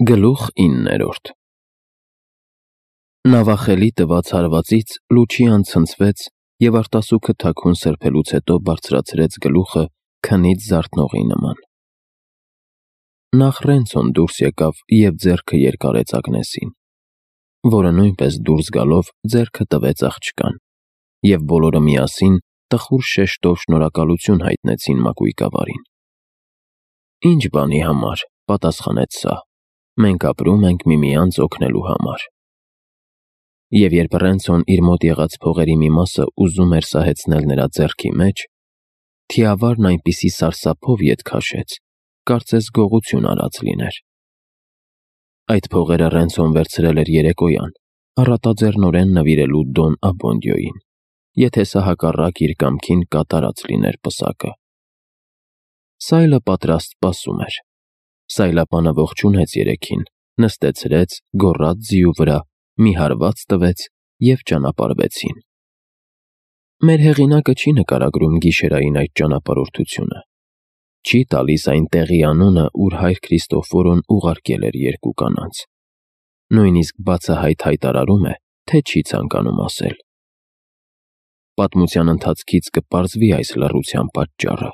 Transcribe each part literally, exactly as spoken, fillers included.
Գլուխ իններորդ Նավախելի տված հարվածից Լուչիան ցնցվեց և արտասուքը թաքուն սրբելուց հետո բարձրացրեց գլուխը քնից զարթնողի նման։ Նախ Ռենցոն դուրս եկավ և ձեռքը երկարեց Ագնեսին, որը նույնպես դուրս գալով ձեռքը տվեց աղջկան, և բոլորը միասին տխուր շեշտով շնորհակալություն հայտնեցին մակույկավարին։ «Ի՞նչ բանի համար,» պատասխանեց սա, «մենք ապրում ենք միմյանց օգնելու համար»։ Եվ երբ Ռենցոն իր մոտ եղած փողերի մի մասը ուզում էր սահեցնել նրա ձեռքի մեջ, թիավարն այնպիսի սարսափով ետ քաշեց, կարծես գողություն արած լիներ։ Այդ փողերը Ռենցոն վերցրել էր երեկոյան, առատաձեռնորեն նվիրելու Դոն Աբոնդիոյին, եթե սա հակառակ իր կամքին կատարած լիներ պսակը։ Սայլը պատրաստ սպասում էր։ Սայլապանը ողջունեց երեքին, նստեցրեց, գոռաց ձիու վրա, մի հարված տվեց և ճանապարհվեցին։ Մեր հեղինակը չի նկարագրում գիշերային այդ ճանապարհորդությունը, չի տալիս այն տեղի անունը, ուր հայր Քրիստոֆորոն ուղարկել էր երկու կանանց, նույնիսկ բացահայտ հայտարարում է, թե չի ցանկանում ասել։ Պատմության ընթացքից կպարզվի այս լռության պատճառը։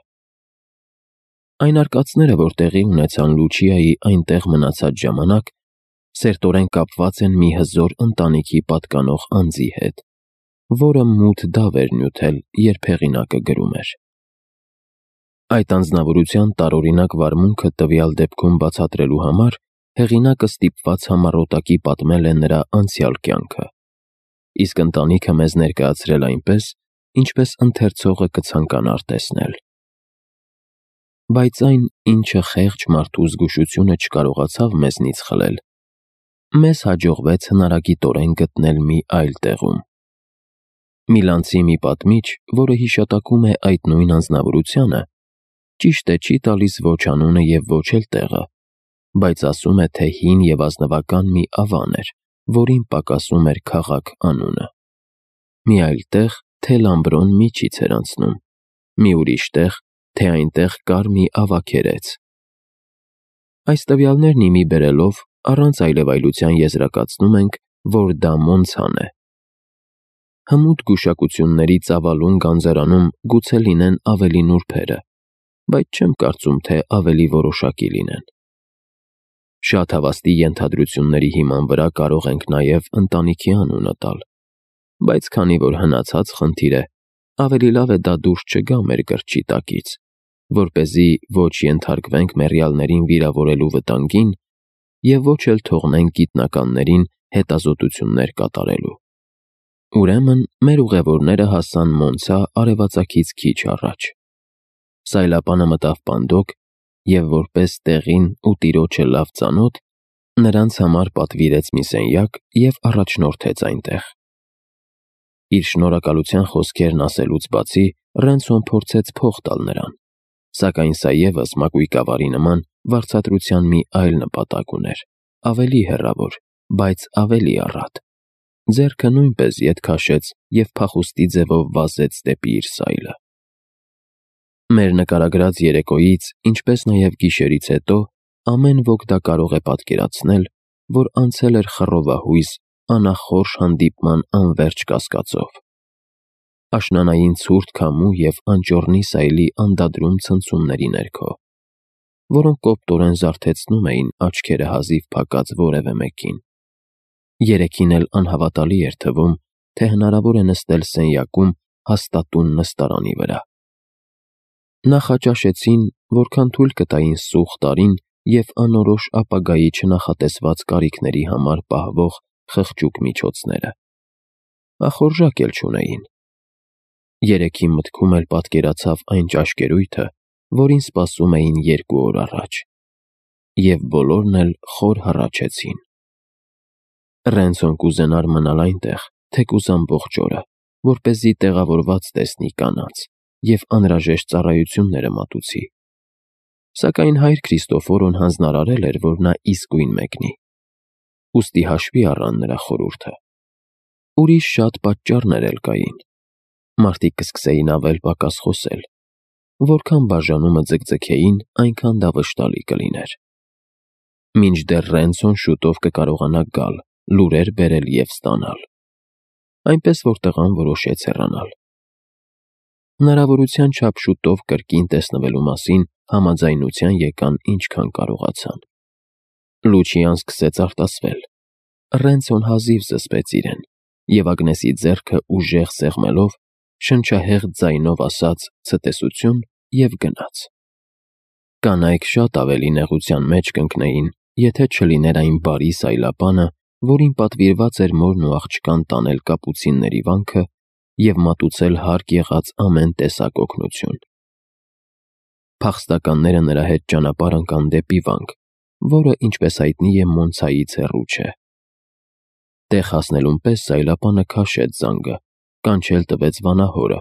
Այն արկածները, որ տեղի ունեցան Լուչիայի այնտեղ մնացած ժամանակ, սերտորեն կապված են մի հզոր ընտանիքի պատկանող անձի հետ, որը մութ դավ էր նյութել, երբ հեղինակը գրում էր։ Այդ անձնավորության տարօրինակ վարմունքը տվյալ դեպքում բացատրելու համար հեղինակը ստիպված համառոտակի պատմել է նրա անցյալ կյանքը, իսկ ընտանիքը մեզ ներկայացրել այնպես, ինչպես ընթերցողը կցանկանար տեսնել։ Բայց այն, ինչը խեղճ մարդու զգուշությունը չկարողացավ մեզնից խլել, մեզ հաջողվեց հնարագիտորեն գտնել մի այլ տեղում։ Միլանցի մի պատմիչ, որը հիշատակում է այդ նույն անձնավորությանը, ճիշտ է, չի տալիս ոչ անունը և ոչ էլ տեղը, բայց ասում է, թե հին և ազնվական մի ավան էր, որին պակասում էր քաղաք անունը։ Մի այլ տեղ, թե Լամբրոն միջից էր անցնում, մի ուրիշ տեղ, թե այնտեղ կար մի ավագերեց։ Այս տվյալներն ի մի բերելով, առանց այլևայլության եզրակացնում ենք, որ դա Մոնցան է։ Հմուտ գուշակությունների ծավալուն գանձարանում գուցե լինեն ավելի նուրբերը, բայց չեմ կարծում, թե ավելի որոշակի լինեն։ Շատ հավաստի ենթադրությունների հիման վրա կարող ենք նաև ընտանիքի անունը տալ, բայց քանի որ հնացած խնդիր է, ավելի լավ է դա դուրս չգա մեր կրճի տակից, որպեսզի ոչ ենթարկվենք մեռյալներին վիրավորելու վտանգին և ոչ էլ թողնենք գիտնականներին հետազոտություններ կատարելու։ Ուրեմն մեր ուղևորները հասան Մոնցա արևածագից քիչ առաջ։ Սայլապանը մտավ պանդոկ և, որպես տեղին ու տիրոջը լավ ծանոթ, նրանց համար պատվիրեց մի սենյակ և առաջնորդեց այնտեղ։ Իր շնորհակալության խոսքերն ասելուց բացի, Ռենցոն փորձեց փող տալ նրան, սակայն սա ևս մակույկավարի նման վարձատրության մի այլ նպատակ ուներ, ավելի հեռավոր, բայց ավելի առատ։ Ձեռքը նույնպես ետ քաշեց և փախուստի ձևով վազեց դեպի իր սայլը։ Մեր նկարագրած երեկոյից, ինչպես նաև գիշերից հետո, ամեն ոք դա կարող է պատկերացնել, որ անցել էր խռովահույս, անախորժ հանդիպման անվերջ կասկածով։ Աշնանային ցուրտ քամու և անճոռնի սայլի անդադրում ցնցումների ներքո, որոնք կոպտորեն զարթեցնում էին աչքերը հազիվ փակած որևէ մեկին։ Երեքին էլ անհավատալի էր թվում, թե հնարավոր է նստել սենյակում հաստատուն նստարանի վրա։ Նախաճաշեցին, որքան թույլ կտային սուղ տարին և անորոշ ապագայի չնախատեսված կարիքների համար պահվող խղճուկ միջոցները։ Ախորժակ էլ չունեին։ Երեքի մտքում էլ պատկերացավ այն ճաշկերույթը, որին սպասում էին երկու օր առաջ, և բոլորն էլ խոր հառաչեցին։ Ռենցոն կուզենար մնալ այնտեղ, թեկուզ ամբողջ օրը, որպեսզի տեղավորված տեսնի կանանց և անհրաժեշտ ծառայությունները մատուցի։ Սակայն հայր Քրիստոֆորոն հանձնարարել էր, որ նա իսկույն մեկնի, ուստի հաշվի առան նրա խորհուրդը։ Ուրիշ շատ պատճառներ էլ կային։ Մարդիկ կսկսեին ավել պակաս խոսել։ Որքան բաժանումը ձգձգեին, այնքան դա վշտալի կլիներ։ մինչդեռ Ռենցոն շուտով կկարողանա գալ, լուրեր բերել և ստանալ։ Այնպես որ տղան որոշեց հեռանալ։ Հնարավորության չափ շուտով կրկին տեսնվելու մասին համաձայնության եկան ինչքան կարողացան։ Լուչիան սկսեց արտասվել։ Ռենցոն հազիվ զսպեց իրեն, և Ագնեսի ձեռքը ուժեղ սեղմելով, շնչահեղձ ձայնով ասաց ցտեսություն և գնաց։ Կանայք շատ ավելի նեղության մեջ կընկնեին, եթե չլիներ այն բարի սայլապանը, որին պատվիրված էր մորն ու աղջկան տանել կապուցինների վանքը և մատուցել հարկ եղած ամեն տեսակ օգնություն։ Փախստականները նրա հետ ճանապարհ ընկան դեպի վանք, որը, ինչպես հայտնի է, Մոնցայից հեռու չէ։ Տեղ հասնելուն պես սայլապանը քաշեց զանգը, կանչել տվեց վանահորը,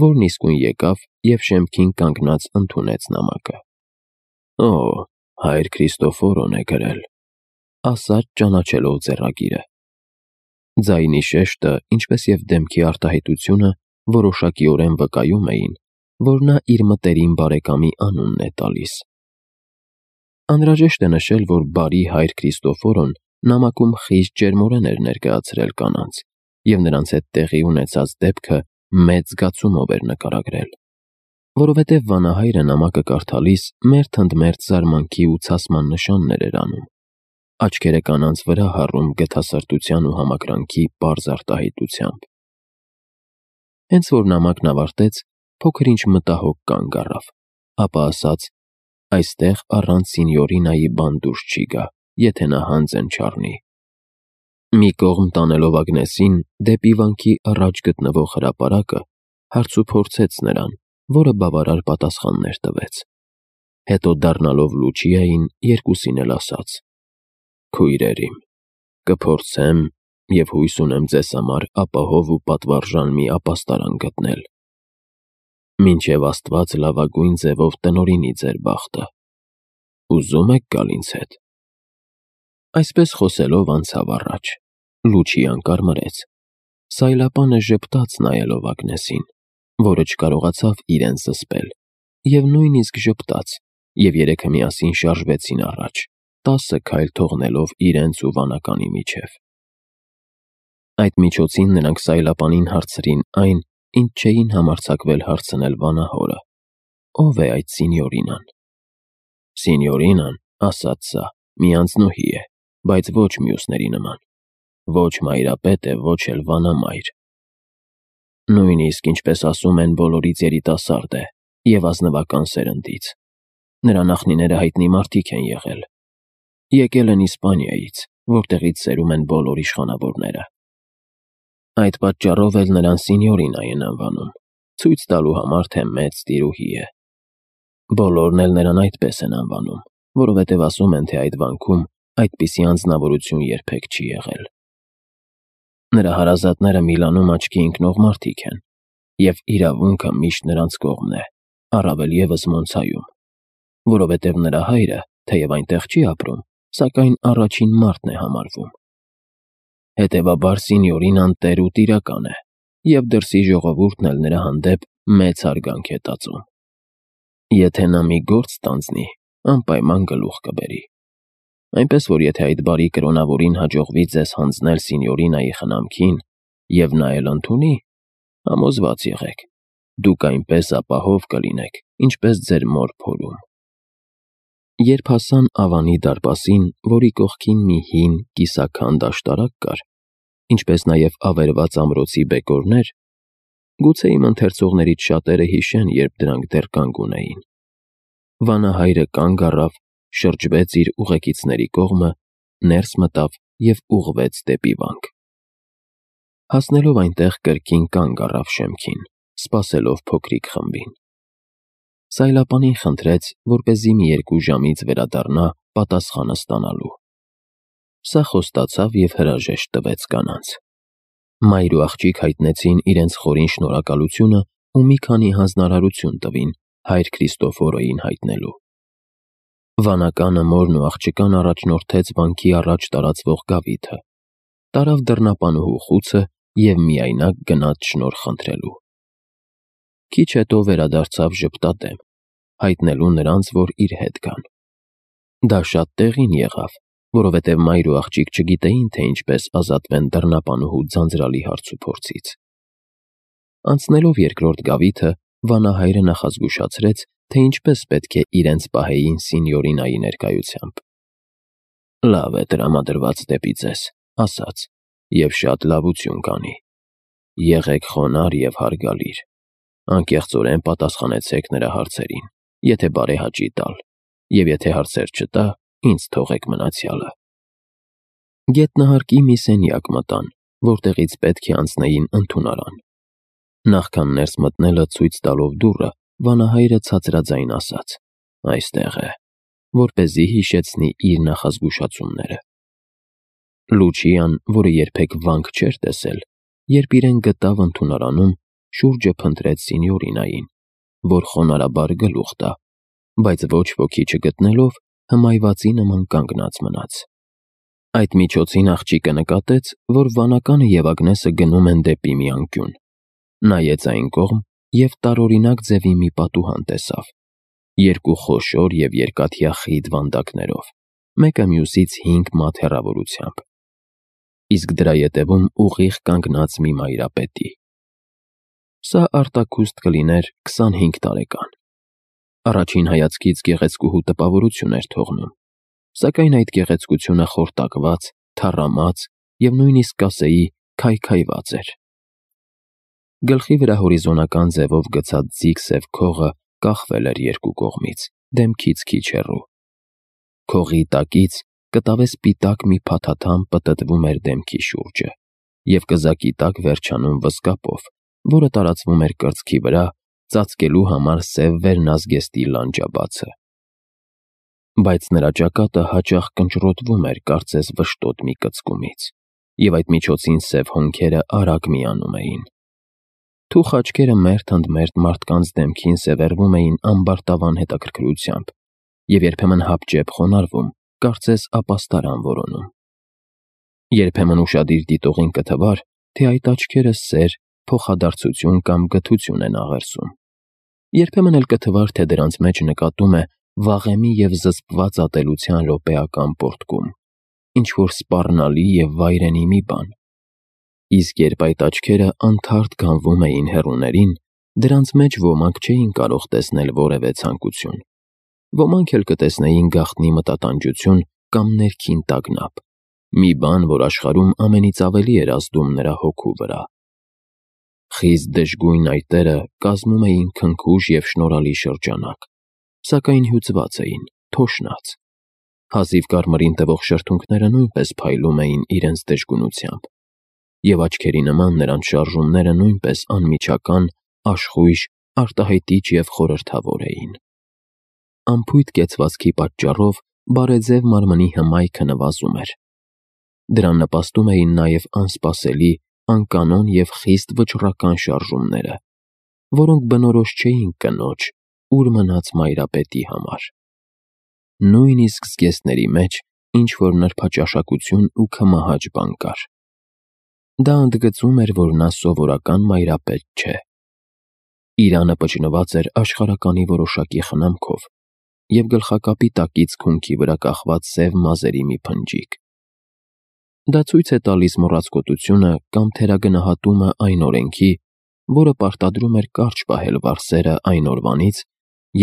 որն իսկույն եկավ և շեմքին կանգնած ընդունեց նամակը։ «Օ, հայր Քրիստոֆորոն է գրել», ասաց ճանաչելով ձեռագիրը։ Ձայնի շեշտը, ինչպես և դեմքի արտահայտությունը որոշակիորեն վկայում էին, որ նա իր մտերիմ բարեկամի անունն է տալիս։ Անհրաժեշտ է նշել, որ բարի հայր Քրիստոֆորոն նամակում խիստ ջերմորեն էր ներկայացրել կանանց, և նրանց հետ տեղի ունեցած դեպքը մեծ զգացումով էր նկարագրել։ Որովհետև վանահայրը նամակը կարդալիս մերթ ընդ մերթ զարմանքի ու ցասման նշաններ էր անում, աչքերը կանանց վրա հառում գթասրտության ու համակրանքի պարզ արտահայտությամբ։ Հենց որ նամակն ավարտեց, փոքր-ինչ մտահոգ կանգ առավ, ապա ասաց. «Այստեղ առանց Սինյորինայի բան դուրս չի գա, եթե նա հանձն չառնի»։ Մի կողմ տանելով Ագնեսին դեպի վանքի առաջ գտնվող հրապարակը, հարցուփորձեց նրան, որը բավարար պատասխաններ տվեց։ Հետո դառնալով Լուչիային, երկուսին էլ ասաց. «Քույրեր իմ, կփորձեմ և հույս ունեմ ձեզ համար ապահով ու պատվարժան մի ապաստարան գտնել։ Մինչև Աստված լավագույն ձևով տնօրինի ձեր բախտը։ Ուզո՞ւմ եք գալ ինձ հետ»։ Այսպես խոսելով անցավ առաջ։ Լուչիան կարմրեց։ Սայլապանը ժպտաց նայելով Ագնեսին, որը չկարողացավ իրեն զսպել, և նույնիսկ ժպտաց, և երեքը միասին շարժվեցին առաջ, տասը քայլ թողնելով իրենց ու վանականի միջև։ Այդ միջոցին նրանք սայլապանին հարցրին այն, ինչ չէին համարձակվել հարցնել վանահորը. ով է այդ Սինյորինան։ «Սինյորինան, ասաց սա, մի անձնուհի է, բայց ոչ մյուսների նման, ոչ մայրապետ է, ոչ էլ վանամայր։ Նույնիսկ, ինչպես ասում են, բոլորից երիտասարդ է և ազնվական սերնդից։ Նրա նախնիները հայտնի մարդիկ են եղել։ Եկել են Իսպանիայից, որտեղից սերում են բոլոր իշխանավորները։ Այդ պատճառով էլ նրան Սինյորինա են անվանում, ցույց տալու համար, թե մեծ տիրուհի է։ Բոլորն էլ նրան այդպես են անվանում, որովհետև ասում են, թե այդ վանքում այդպիսի անձնավորություն երբեք չի եղել։ Նրա հարազատները Միլանում աչքի ընկնող մարդիկ են, և իրավունքը միշտ նրանց կողմն է, առավել ևս Մոնցայում, որովհետև նրա հայրը, թեև այնտեղ չի ապրում, սակայն առաջին մարդն է համարվում։ Հետևաբար Սինյորինան տեր ու տիրական է, և դրսի ժողովուրդն էլ նրա հանդեպ մեծ հարգանք է տածում։ Եթե նա մի գործ ստանձնի, անպայման գլուխ կբերի։ Այնպես որ եթե այդ բարի կրոնավորին հաջողվի ձեզ հանձնել Սինյորինայի խնամքին, և նա էլ ընդունի, համոզված եղեք, դուք այնպես ապահով կլինեք, ինչպես ձեր մոր փորում»։ Երբ հասան Ավանի դարպասին, որի կողքին մի հին, կիսաքանդ աշտարակ կար, ինչպես նաև ավերված ամրոցի բեկորներ, գուցե իմ ընթերցողներից շատերը հիշեն, երբ դրանք դեռ կանգ ունեին, վանահայրը կանգ առավ, շրջվեց իր ուղեկիցների կողմը, ներս մտավ և ուղղվեց դեպի վանք։ Հասնելով այնտեղ կրկին կանգ առավ շեմքին, սպասելով փոքրիկ խմբին։ Սայլապանին խնդրեց, որպեսզի մի երկու ժամից վերադառնա պատասխանը ստանալու։ Սա խոստացավ և հրաժեշտ տվեց կանանց։ Մայր ու աղջիկ հայտնեցին իրենց խորին շնորհակալությունը ու մի քանի հանձնարարություն տվին հայր Քրիստոֆորոյին հայտնելու։ Վանականը մորն ու աղջկան առաջնորդեց վանքի առաջ տարածվող գավիթը, տարավ դռնապանուհու խուցը և միայնակ գնաց շնորհ խնդրելու։ Քիչ հետո վերադարձավ ժպտադեմ, հայտնելու նրանց, որ իր հետ գան։ Դա շատ տեղին եղավ, որովհետև մայր ու աղջիկ չգիտեին, թե ինչպես ազատվեն դռնապանուհու ձանձրալի հարցուփորձից։ Անցնելով երկրորդ գավիթը, վանահայրը նախազգուշացրեց, թե ինչպես պետք է իրենց պահեին սինյորինայի ներկայությամբ։ Լավ է տրամադրված դեպի ձեզ, ասաց, և շատ լավություն կանի։ Եղեք խոնարհ և հարգալիր։ Անկեղծորեն պատասխանեցեք նրա հարցերին, եթե բարեհաճի տալ, և եթե հարցեր չտա, ինձ թողեք մնացյալը։ Գետնահարկի մի սենյակ մտան, որտեղից պետք է անցնեին ընդունարան։ Նախքան ներս մտնելը ցույց տալով դուռը, վանահայրը ցածրաձայն ասաց. «Այստեղ է», որպեսզի հիշեցնի իր նախազգուշացումները։ Լուչիան, որը երբեք վանք չէր տեսել, երբ իրեն գտավ ընդունարանում, շուրջը փնտրեց սինյորինային, որ խոնարհաբար գլուխ տա, բայց ոչ ոքի չգտնելով, հմայվածի նման կանգնած մնաց։ Այդ միջոցին աղջիկը նկատեց, որ վանականը և Ագնեսը գնում են դեպի մի անկյուն։ Նայեց այն կողմ և տարօրինակ ձևի մի պատուհան տեսավ, երկու խոշոր և երկաթյա խիտ վանդակներով, մեկը մյուսից հինգ մաթ հեռավորությամբ, իսկ դրա ետևում ուղիղ կանգնած մի մայրապետի։ Սա արտաքուստ կլիներ քսանհինգ տարեկան։ Առաջին հայացքից գեղեցկուհու տպավորություն էր թողնում, սակայն այդ գեղեցկությունը խորտակված, թառամած և նույնիսկ կասեի քայքայված էր։ Գլխի վրա հորիզոնական ձևով գցած ձիգ սև քողը կախվել էր երկու կողմից, դեմքից քիչ հեռու։ Քողի տակից կտավե սպիտակ մի փաթաթան պտտվում էր դեմքի շուրջը և կզակի տակ վերջանում վզկապով, որը տարածվում էր կրծքի վրա, ծածկելու համար սև վերնազգեստի լանջաբացը։ Բայց նրա ճակատը հաճախ կնճռոտվում էր կարծես վշտոտ մի կծկումից, և այդ միջոցին սև հոնքերը արագ միանում էին։ Թուխ աչքերը մերթ ընդ մերթ մարդկանց դեմքին սևեռվում էին ամբարտավան հետաքրքրությամբ և երբեմն հապճեպ խոնարհվում, կարծես ապաստարան որոնում։ Երբեմն ուշադիր դիտողին կթվար, թե այդ աչքերը սեր, փոխադարձություն կամ գթություն են աղերսում։ Երբեմն էլ կթվար, թե դրանց մեջ նկատում է վաղեմի և զսպված ատելության րոպեական պոռթկում, ինչ-որ սպառնալի և վայրենի մի բան։ Իսկ երբ այդ աչքերը անթարթ գանվում էին հեռուներին, դրանց մեջ ոմանք չէին կարող տեսնել որևէ ցանկություն, ոմանք էլ կտեսնեին գաղտնի մտատանջություն կամ ներքին տագնապ, մի բան, որ աշխարհում ամենից ավելի էր ազդում նրա հոգու վրա։ Խիստ դժգույն այտերը կազմում էին քնքուշ և շնորհալի շրջանակ, սակայն հյուծված էին, թոշնած։ Հազիվ կարմրին տվող շրթունքները նույնպես փայլում էին իրենց դժգունությամբ, և աչքերի նման նրանց շարժումները նույնպես անմիջական, աշխույժ, արտահայտիչ և խորհրդավոր էին։ Անփույթ կեցվածքի պատճառով բարեձև մարմնի հմայքը նվազում էր։ Դրան նպաստում էին նաև անսպասելի, անկանոն և խիստ վճռական շարժումները, որոնք բնորոշ չէին կնոջ, ուր մնաց մայրապետի համար։ Նույնիսկ զգեստների մեջ ինչ-որ նրբաճաշակություն ու քմահաճ բան կար։ Դա ընդգծում էր, որ նա սովորական մայրապետ չէ։ Իրանը պճնված էր աշխարհականի որոշակի խնամքով, և գլխակապի տակից քունքի վրա կախված սև մազերի մի փնջիկ։ Դա ցույց է տալիս մոռացկոտությունը կամ թերագնահատումը այն օրենքի, որը պարտադրում էր կարճ պահել վարսերը այն օրվանից,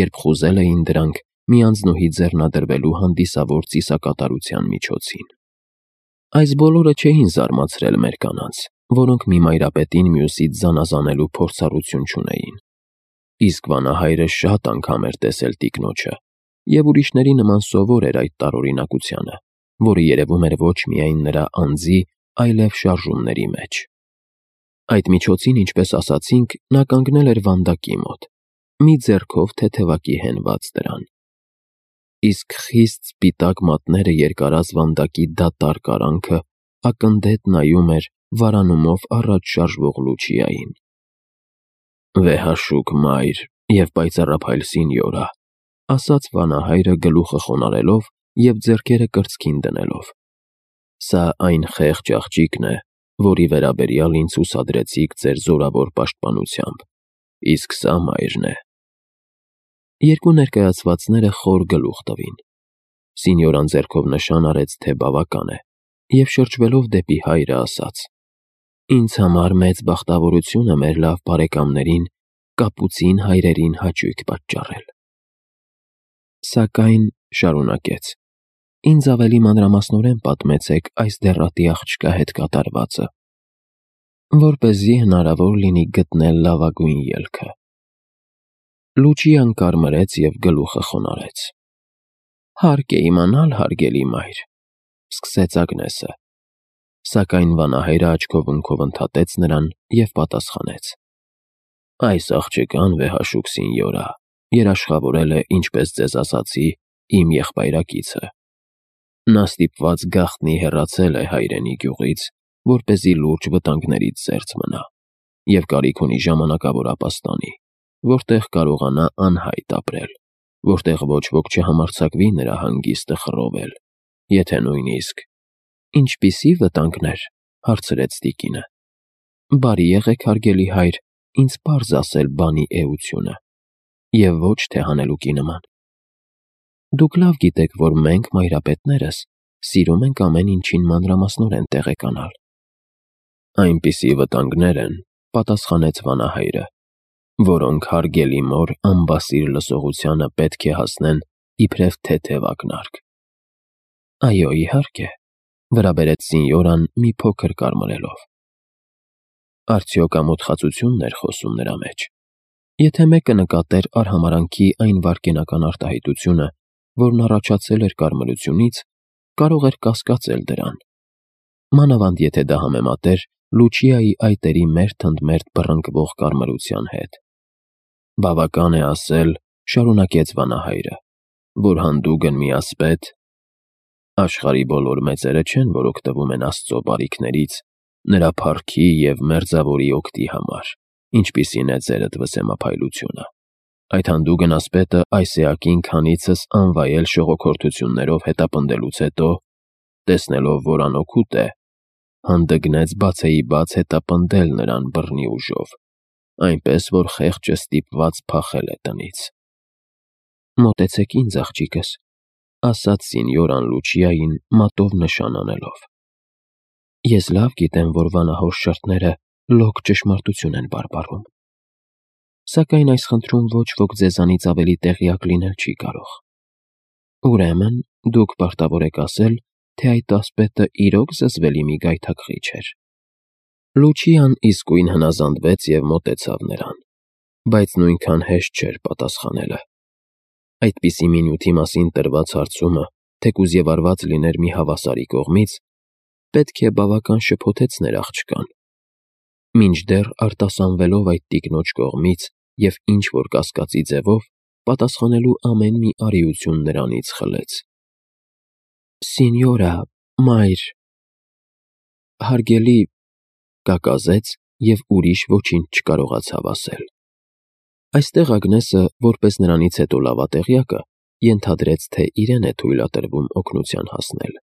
երբ խուզել էին դրանք մի անձնուհի ձեռնադրվելու հանդիսավոր ծիսակատարության միջոցին։ Այս բոլորը չէին զարմացրել մեր կանանց, որոնք մի մայրապետին մյուսից զանազանելու փորձառություն չունեին։ Իսկ վանահայրը շատ անգամ էր տեսել տիկնոջը, և ուրիշների նման սովոր էր այդ տարօրինակությանը, որը երևում էր ոչ միայն նրա անձի, այլև շարժումների մեջ։ Այդ միջոցին, ինչպես ասացինք, նա կանգնել էր վանդակի մոտ, մի ձեռքով թեթևակի հենված դրան։ Իսկ խիստ սպիտակ մատները երկարած վանդակի դատարկ արանքը ակնդետ նայում էր վարանումով առաջ շարժվող Լուչիային։ «Վեհաշուկ մայր և պայծառափայլ սինյորա», ասաց վանահայրը գլուխը խոնարհելով և ձեռքերը կրծքին դնելով։ «Սա այն խեղճ աղջիկն է, որի վերաբերյալ ինձ հուսադրեցիք ձեր զորավոր պաշտպանությամբ, իսկ սա մայրն է»։ Երկու ներկայացվածները խոր գլուխ տվին։ Սինյորան ձեռքով նշան արեց, թե բավական է, և շրջվելով դեպի հայրը ասաց. «Ինձ համար մեծ բախտավորություն է մեր լավ բարեկամներին կապուցին հայրերին հաճույք պատճառել»։ Սակայն, շարունակեց, ինձ ավելի մանրամասնորեն պատմեցեք այս դեռատի աղջկա հետ կատարվածը, որպեսզի հնարավոր լինի գտնել լավագույն ելքը։ Լուչիան կարմրեց և գլուխը խոնարհեց։ «Հարկ է իմանալ, հարգելի մայր», սկսեց Ագնեսը, սակայն վանահայրը աչքով ընկով ընդհատեց նրան և պատասխանեց. «Այս աղջկան վեհաշուք սինյորա երաշխավորել է, ինչպես ձեզ ասացի, իմ եղբայրակիցը։ Նա ստիպված գաղտնի հեռացել է հայրենի գյուղից, որպեսզի լուրջ վտանգներից զերծ մնա, և կարիք ունի ժամանակավոր ապաստանի, որտեղ կարողանա անհայտ ապրել, որտեղ ոչ ոք չհամարձակվի նրա հանգիստը խռովել, եթե նույնիսկ…» «Ինչպիսի՞ վտանգներ», հարցրեց տիկինը։ «Բարի եղեք, հարգելի հայր, ինձ պարզ ասել բանի էությունը, և ոչ թե հանելուկի նման։ Դուք լավ գիտեք, որ մենք, մայրապետներս, սիրում ենք ամեն ինչին մանրամասնորեն տեղեկանալ»։ «Այնպիսի վտանգներ են», պատասխանեց վանահայրը, «որոնք հարգելի մոր անբասիր լսողությանը պետք է հասնեն իբրև թեթև ակնարկ»։ «Այո, իհարկե», վրա բերեց սինյորան մի փոքր կարմրելով։ Արդյոք ամոթխածությո՞ւնն էր խոսում նրա մեջ։ Եթե մեկը նկատեր արհամարհանքի այն վայրկենական արտահայտությունը, որն առաջացել էր կարմրությունից, կարող էր կասկածել դրան, մանավանդ եթե դա համեմատեր Լուչիայի այտերի մերթ ընդ մերթ բռնկվող կարմրության հետ։ «Բավական է ասել, — շարունակեց վանահայրը, — որ հանդուգն մի ասպետ… Աշխարհի բոլոր մեծերը չեն, որ օգտվում են Աստծո բարիքներից նրա փառքի և մերձավորի օգտի համար, ինչպիսին է ձերդ վսեմափայլությունը… Այդ հանդուգն ասպետը այս էակին քանիցս անվայել շողոքորթություններով հետապնդելուց հետո, տեսնելով, որ անօգուտ է, հանդգնեց բացեիբաց հետապնդել նրան բռնի ուժով, այնպես որ խեղճը ստիպված փախել է տնից»։ «Մոտեցեք ինձ, աղջիկս», ասաց սինյորան Լուչիային մատով նշան անելով։ «Ես լավ գիտեմ, որ վանահոր շրթները լոկ ճշմարտություն են բարբառում, սակայն այս խնդրում ոչ ոք ձեզանից ավելի տեղյակ լինել չի կարող։ Ուրեմն դուք պարտավոր եք ասել, թե այդ ասպետը իրոք զզվելի մի գայթակղիչ էր»։ Լուչիան իսկույն հնազանդվեց և մոտեցավ նրան, բայց նույնքան հեշտ չէր պատասխանելը։ Այդպիսի մի նյութի մասին տրված հարցումը, թեկուզ և արված լիներ մի հավասարի կողմից, պետք է բավական շփոթեցներ աղջկան, մինչդեռ արտասանվելով այդ տիկնոջ կողմից և ինչ-որ կասկածի ձևով, պատասխանելու ամեն մի արիություն նրանից խլեց։ «Սինյորա… մայր… հարգելի…» կակազեց և ուրիշ ոչինչ չկարողացավ ասել։ Այստեղ Ագնեսը, որպես նրանից հետո լավատեղյակը, ենթադրեց, թե իրեն է թույլատրվում օգնության հասնել։